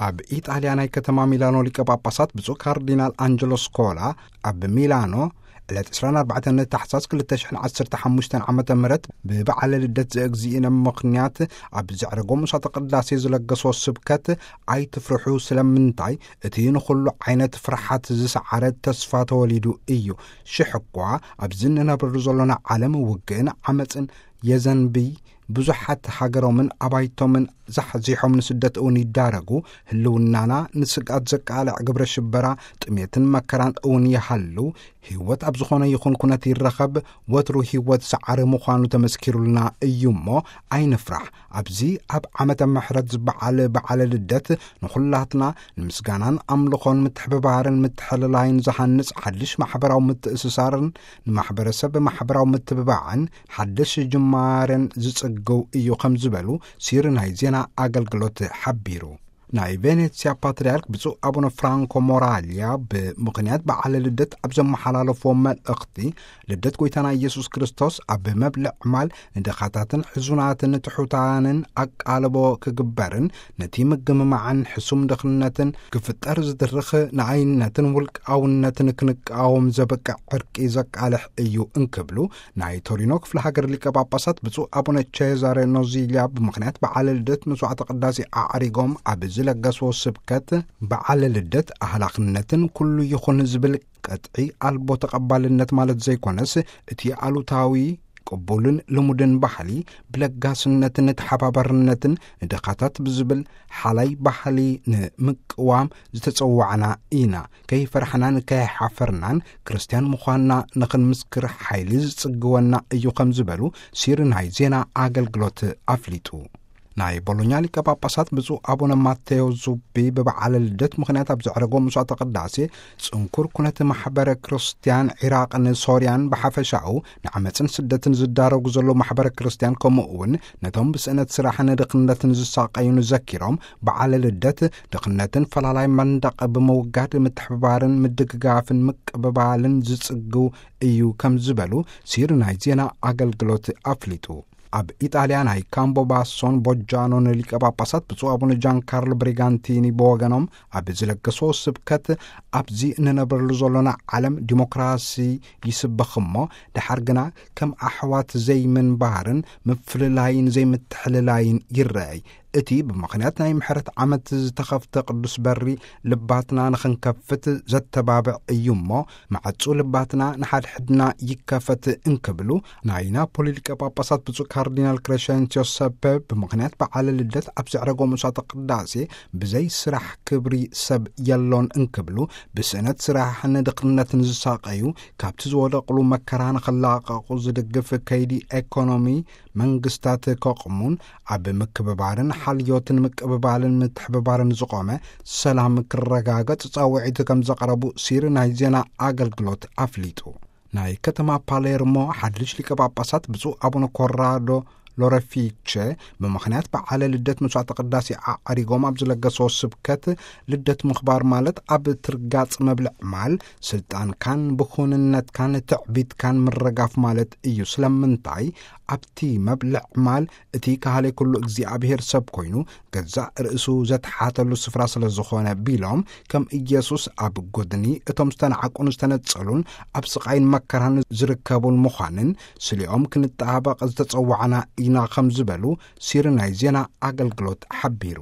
ኣብ ኢጣልያ ናይ ከተማ ሚላኖ ሊቀ ጳጳሳት ብፁዕ ካርዲናል ኣንጀሎ ስኮላ ኣብ ሚላኖ ዕለት ዕስራን ኣርባዕተን ታሕሳስ ክልተ ሽሕን ዓሰርተ ሓሙሽተን ዓመተ ምህረት ብበዓለ ልደት ዘእግዚእነ ምኽንያት ኣብ ዘዕረጎ ምሳተ ቅዳሴ ዝለገሶ ስብከት፣ ኣይትፍርሑ፣ ስለምንታይ እቲ ንኹሉ ዓይነት ፍርሓት ዝሰዓረ ተስፋ ተወሊዱ እዩ። ሽሕ እኳ ኣብዚ እንነብረሉ ዘሎና ዓለም ውግእን ዓመፅን የዘንብይ፣ ብዙሓት ሃገሮምን ኣባይቶምን ዛሕዚሖም ንስደት እውን ይዳረጉ፣ ህልውናና ንስግኣት ዘቃልዕ ግብረ ሽበራ፣ ጥሜትን መከራን እውን ይሃሉ፣ ህይወት ኣብ ዝኾነ ይኹን ኩነት ይረኸብ፣ ወትሩ ህይወት ሰዓሪ ምዃኑ ተመስኪሩልና እዩ እሞ፣ ኣይንፍራሕ። ኣብዚ ኣብ ዓመተ ምሕረት ዝበዓል በዓለ ልደት ንኹላትና ንምስጋናን ኣምልኾን ምትሕብባርን ምትሕልላይን ዝሃንጽ ሓድሽ ማሕበራዊ ምትእስሳርን ንማሕበረሰብ ማሕበራዊ ምትብባዕን ሓድሽ ጅማሬን ዝጽግው እዩ ከም ዝበሉ ሲሪ ናይ ዜና ኣገልግሎት ሓቢሩ። ናይ ቬኔትስያ ፓትርያርክ ብፁዕ ኣቡነ ፍራንኮ ሞራልያ ብምኽንያት በዓለ ልደት ኣብ ዘመሓላለፍዎ መልእኽቲ፣ ልደት ጐይታና ኢየሱስ ክርስቶስ ኣብ መብልዕ ማል ንድኻታትን ሕዙናትን ትሑታንን ኣቃልቦ ክግበርን ነቲ ምግምማዕን ሕሱም ድኽነትን ክፍጠር ዝድርኽ ንኣይነትን ውልቃውነትን ክንቃወም ዘብቅዕ ዕርቂ ዘቃልሕ እዩ እንክብሉ፣ ናይ ቶሪኖ ክፍለ ሃገር ሊቀ ጳጳሳት ብፁዕ ኣቡነ ቼዛሬ ኖዚልያ ብምኽንያት በዓለ ልደት መስዋዕተ ቅዳሴ ኣዕሪጎም ኣብ ዝለገስዎ ስብከት፣ በዓለ ልደት ኣህላኽነትን ኩሉ ይኹን ዝብል ቀጥዒ ኣልቦ ተቐባልነት ማለት ዘይኮነስ፣ እቲ ኣሉታዊ ቅቡልን ልሙድን ባህሊ ብለጋስነትን ተሓባባርነትን ንድኻታት ብዝብል ሓላይ ባህሊ ንምቅዋም ዝተጸዋዕና ኢና። ከይፈራሕናን ከይሓፈርናን ክርስትያን ምዃንና ንኽንምስክር ሓይሊ ዝጽግወና እዩ ከም ዝበሉ ሲሪ ናይ ዜና ኣገልግሎት ኣፍሊጡ። ናይ ቦሎኛ ሊቀ ጳጳሳት ብፁዕ ኣቡነ ማቴዎ ዙቢ ብበዓለ ልደት ምኽንያት ኣብ ዘዕረጎ መስዋዕተ ቅዳሴ፣ ጽንኩር ኩነት ማሕበረ ክርስትያን ዒራቕን ሶርያን ብሓፈሻኡ ንዓመጽን ስደትን ዝዳረጉ ዘለዉ ማሕበረ ክርስትያን፣ ከምኡ እውን ነቶም ብስእነት ስራሕን ድኽነትን ዝሳቐዩን ዘኪሮም፣ በዓለ ልደት ድኽነትን ፈላላይ መንደቕ ብምውጋድ ምትሕብባርን ምድግጋፍን ምቅብባልን ዝጽግው እዩ ከም ዝበሉ ሲሪ ናይ ዜና ኣገልግሎት ኣፍሊጡ። ኣብ ኢጣልያ ናይ ካምቦ ባሶን ቦጃኖን ሊቀ ጳጳሳት ብፁዕ ኣቡነ ጃን ካርሎ ብሪጋንቲኒ ብወገኖም ኣብ ዝለገስዎ ስብከት፣ ኣብዚ እንነብረሉ ዘሎና ዓለም ዲሞክራሲ ይስበኽ እሞ፣ ደሓር ግና ከም ኣሕዋት ዘይምንባርን ምፍልላይን ዘይምትሕልላይን ይረኣይ። እቲ ብምኽንያት ናይ ምሕረት ዓመት ዝተኸፍተ ቅዱስ በሪ ልባትና ንኽንከፍት ዘተባብዕ እዩ እሞ፣ ማዕጹ ልባትና ንሓድሕድና ይከፈት እንክብሉ፣ ናይ ናፖሊ ሊቀ ጳጳሳት ብፁዕ ካርዲናል ክሬሸንሲዮ ሰፐ ብምኽንያት በዓለ ልደት ኣብ ዘዕረጎ መስዋዕተ ቅዳሴ፣ ብዘይ ስራሕ ክብሪ ሰብ የሎን እንክብሉ፣ ብስእነት ስራሕን ድኽነትን ዝሳቐዩ፣ ካብቲ ዝወደቕሉ መከራ ንኽላቐቑ ዝድግፍ ከይዲ ኤኮኖሚ መንግስታት ከቕሙን፣ ኣብ ምክብባርን ሓልዮትን ምቅብባልን ምትሕብባርን ዝቖመ ሰላም ክረጋገጽ ጻውዒት ከም ዘቕረቡ ሲሪ ናይ ዜና ኣገልግሎት ኣፍሊጡ። ናይ ከተማ ፓሌርሞ ሓድሽ ሊቀ ጳጳሳት ብፁዕ ኣቡነ ኮራዶ ሎረፊቸ ብምኽንያት በዓለ ልደት መስዋዕተ ቅዳሴ ኣዕሪጎም ኣብ ዝለገስዎ ስብከት፣ ልደት ምኽባር ማለት ኣብ ትርጋጽ መብልዕ ማል ስልጣንካን ብኹንነትካን ትዕቢትካን ምርጋፍ ማለት እዩ። ስለምንታይ? ኣብቲ መብልዕ ማል እቲ ካህሌ ኩሉ እግዚኣብሔር ሰብ ኮይኑ ገዛእ ርእሱ ዘትሓተሉ ስፍራ ስለ ዝኾነ ቢሎም፣ ከም ኢየሱስ ኣብ ጎድኒ እቶም ዝተናዕቁን ዝተነጸሉን ኣብ ስቓይን መከራን ዝርከቡን ምዃንን ስሊኦም ክንጠባበቕ ዝተጸዋዕና ኢና ከም ዝበሉ ሲሪ ናይ ዜና ኣገልግሎት ሓቢሩ።